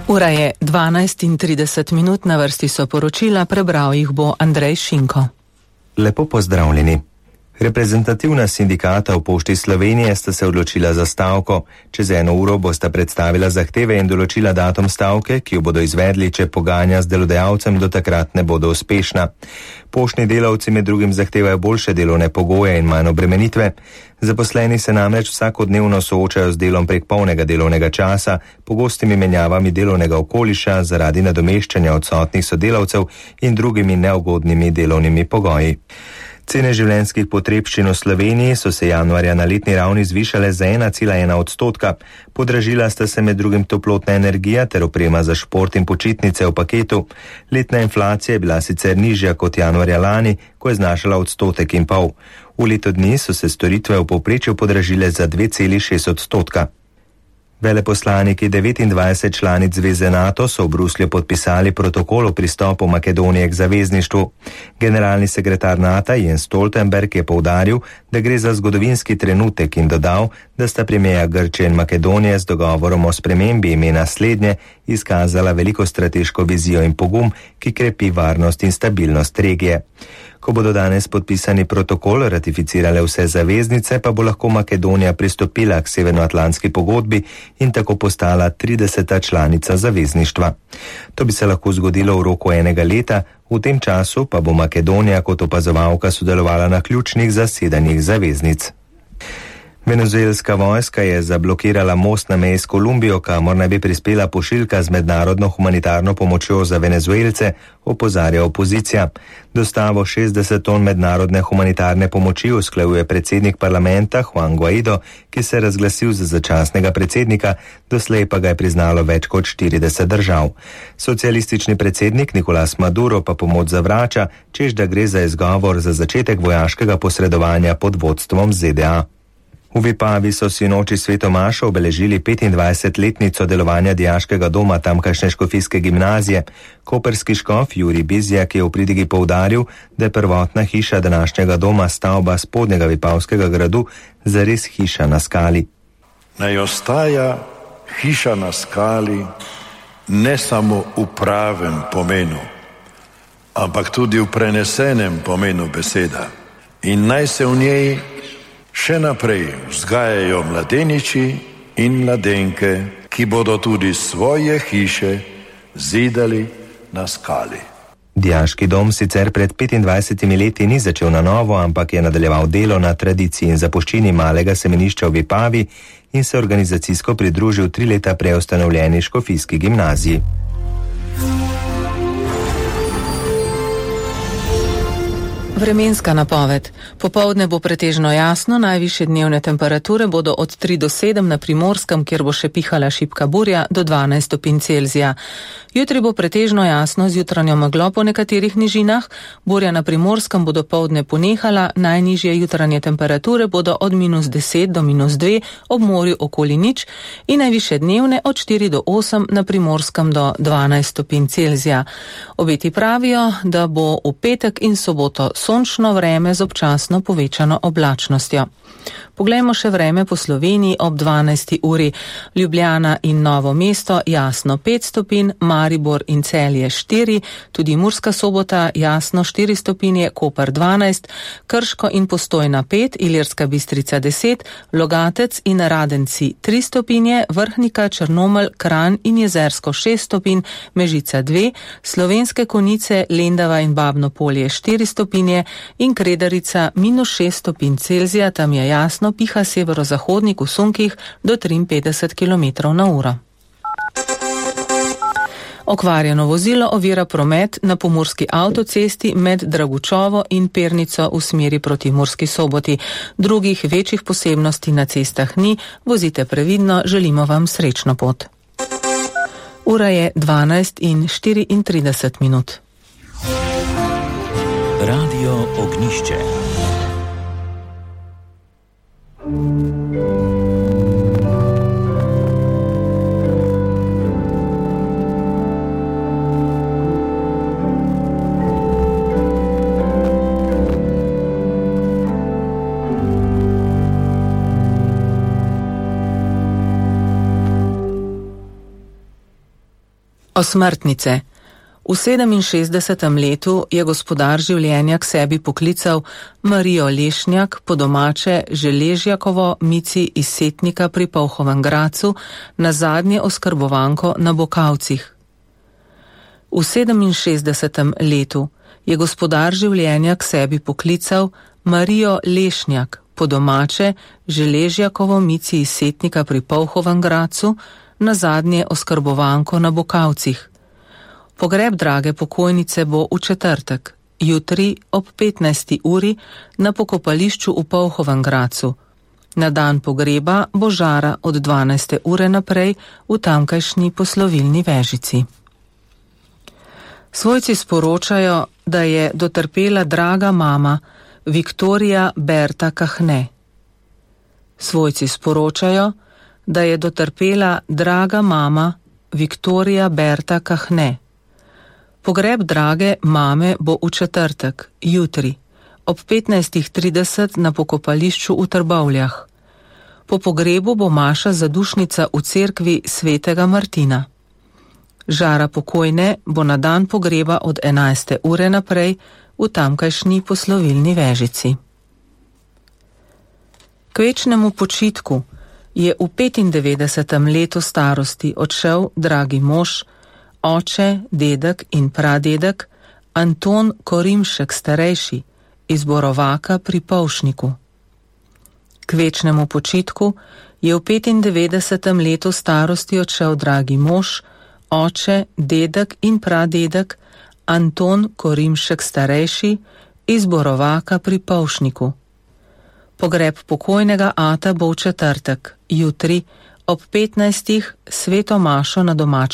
Ura je 12:30, na vrsti so poročila, prebral jih bo Andrej Šinko. Lepo pozdravljeni. Reprezentativna sindikata v Pošti Slovenije sta se odločila za stavko. Čez 1 uro bosta predstavila zahteve in določila datum stavke, ki jo bodo izvedli, če pogajanja z delodajalcem do takrat ne bodo uspešna. Poštni delavci med drugim zahtevajo boljše delovne pogoje in manj obremenitve. Zaposleni se namreč vsakodnevno soočajo z delom prek polnega delovnega časa, pogostimi menjavami delovnega okoliša zaradi nadomeščanja odsotnih sodelavcev in drugimi neugodnimi delovnimi pogoji. Cene življenjskih potrebščin v Sloveniji so se januarja na letni ravni zvišale za 1,1%. Podražila sta se med drugim toplotna energija ter oprema za šport in počitnice v paketu. Letna inflacija je bila sicer nižja kot januarja lani, ko je znašala 1,5%. V letu dni so se storitve v povprečju podražile za 2,6%. Veleposlaniki 29 članic zveze NATO so v Bruslju podpisali protokol o pristopu Makedonije k zavezništvu. Generalni sekretar NATO Jens Stoltenberg je poudaril, da gre za zgodovinski trenutek in dodal, da sta premierja Grčije in Makedonije z dogovorom o spremembi imena slednje izkazala veliko strateško vizijo in pogum, ki krepi varnost in stabilnost regije. Ko bodo danes podpisani protokol ratificirale vse zaveznice, pa bo lahko Makedonija pristopila k Severnoatlantski pogodbi in tako postala 30. članica zavezništva. To bi se lahko zgodilo v roku 1 leta, v tem času pa bo Makedonija kot opazovalka sodelovala na ključnih zasedanjih zaveznic. Venezuelska vojska je zablokirala most na meji s Kolumbijo, kamor naj bi prispela pošiljka z mednarodno humanitarno pomočjo za Venezuelce, opozarja opozicija. Dostavo 60 ton mednarodne humanitarne pomoči usklajuje predsednik parlamenta Juan Guaido, ki se je razglasil za začasnega predsednika, doslej pa ga je priznalo več kot 40 držav. Socialistični predsednik Nicolás Maduro pa pomoč zavrača, češ da gre za izgovor za začetek vojaškega posredovanja pod vodstvom ZDA. V Vipavi so sinoči svetomašo obeležili 25-letnico delovanja dijaškega doma tamkajšnje škofijske gimnazije. Koperski škof Jurij Bizjak je v pridigi poudaril, da je prvotna hiša današnjega doma stavba spodnjega Vipavskega gradu zares hiša na skali. Naj ostaja hiša na skali ne samo v pravem pomenu, ampak tudi v prenesenem pomenu beseda. In naj se v njej še naprej vzgajajo mladeniči in mladenke, ki bodo tudi svoje hiše zidali na skali. Dijaški dom sicer pred 25 leti ni začel na novo, ampak je nadaljeval delo na tradiciji in zapuščini malega semenišča v Vipavi in se organizacijsko pridružil 3 leta prej ustanovljeni škofijski gimnaziji. Vremenska napoved. Popoldne bo pretežno jasno, najvišje dnevne temperature bodo od 3 do 7 na Primorskem, kjer bo še pihala šibka burja, do 12 stopinj Celzija. Jutri bo pretežno jasno z jutranjo meglo po nekaterih nižinah, burja na Primorskem bo dopoldne ponehala, najnižje jutranje temperature bodo od -10 do -2, ob morju okoli 0 in najvišje dnevne od 4 do 8 na Primorskem do 12 stopinj Celzija. Obeti pravijo, da bo v petek in soboto sončno vreme z občasno povečano oblačnostjo. Poglejmo še vreme po Sloveniji ob 12. uri. Ljubljana in Novo mesto jasno 5 stopinj, Maribor in Celje 4, tudi Murska Sobota jasno 4 stopinje, Koper 12, Krško in Postojna 5, Ilirska Bistrica 10, Logatec in Radenci 3 stopinje, Vrhnika, Črnomelj, Kranj in Jezersko 6 stopinj, Mežica 2, Slovenske Konjice, Lendava in Babno Polje 4 stopinje in Kredarica -6 stopinj Celzija, tam je jasno, piha severozahodnik v sunkih do 53 km/h. Okvarjeno vozilo ovira promet na pomurski avtocesti med Dragučovo in Pernico v smeri proti Murski Soboti. Drugih večjih posebnosti na cestah ni, vozite previdno, želimo vam srečno pot. Ura je 12:34. Radio Ognišče. Osmrtnice. V 67. letu je gospodar življenja k sebi poklical Marijo Lešnjak, po domače Želežjakovo Mici iz Setnika pri Polhovem Gracu, na zadnje oskrbovanko na Bokavcih. V 67. letu je gospodar življenja k sebi poklical Marijo Lešnjak, po domače Želežjakovo Mici iz Setnika pri Polhovem Gracu, na zadnje oskrbovanko na Bokavcih. Pogreb drage pokojnice bo v četrtek, jutri ob 15. uri na pokopališču v Polhovem Gracu. Na dan pogreba bo žara od 12. ure naprej v tamkajšnji poslovilni vežici. Svojci sporočajo, da je dotrpela draga mama Viktorija Berta Kahne. Svojci sporočajo, da je dotrpela draga mama Viktorija Berta Kahne. Pogreb drage mame bo v četrtek, jutri, ob 15.30 na pokopališču v Trbovljah. Po pogrebu bo maša zadušnica v cerkvi svetega Martina. Žara pokojne bo na dan pogreba od 11. ure naprej v tamkajšnji poslovilni vežici. K večnemu počitku je v 95. letu starosti odšel dragi mož, oče, dedek in pradedek Anton Korimšek starejši iz Borovaka pri Polšniku. K večnemu počitku je v 95. letu starosti odšel dragi mož, oče, dedek in pradedek Anton Korimšek starejši iz Borovaka pri Polšniku. Pogreb pokojnega ata bo v četrtek, jutri ob 15. sveto mašo na domačem